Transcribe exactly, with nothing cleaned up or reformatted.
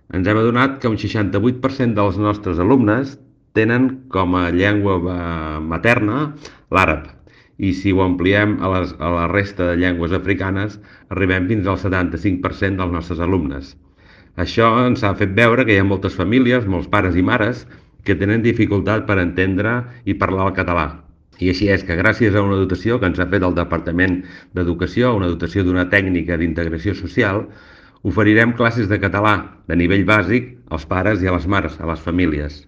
Ens hem adonat que un seixanta-vuit per cent dels nostres alumnes tenen com a llengua eh, materna l'àrab. I si ho ampliem a, les, a la resta de llengües africanes, arribem fins al setanta-cinc per cent dels nostres alumnes. Això ens ha fet veure que hi ha moltes famílies, molts pares i mares, que tenen dificultat per entendre i parlar el català. I així és que gràcies a una dotació que ens ha fet el Departament d'Educació, una dotació d'una tècnica d'integració social, oferirem classes de català de nivell bàsic als pares i a les mares, a les famílies.